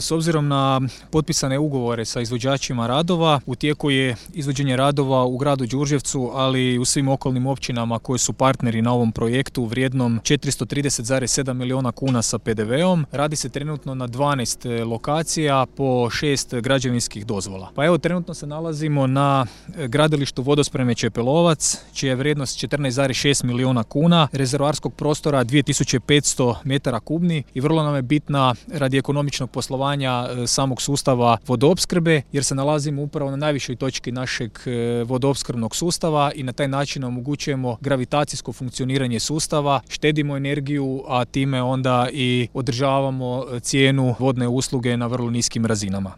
S obzirom na potpisane ugovore sa izvođačima radova, u tijeku je izvođenje radova u gradu Đurđevcu, ali i u svim okolnim općinama koji su partneri na ovom projektu vrijednom 430,7 milijuna kuna sa PDV-om. Radi se trenutno na 12 lokacija po 6 građevinskih dozvola. Pa evo, trenutno se nalazimo na gradilištu vodospreme Čepelovac, čija je vrijednost 14,6 milijuna kuna, rezervoarskog prostora 2500 metara kubni i vrlo nam je bitna radi ekonomičnog poslovanja samog sustava vodoopskrbe, jer se nalazimo upravo na najvišoj točki našeg vodoopskrbnog sustava i na taj način omogućujemo gravitacijsko funkcioniranje sustava, štedimo energiju, a time onda i održavamo cijenu vodne usluge na vrlo niskim razinama.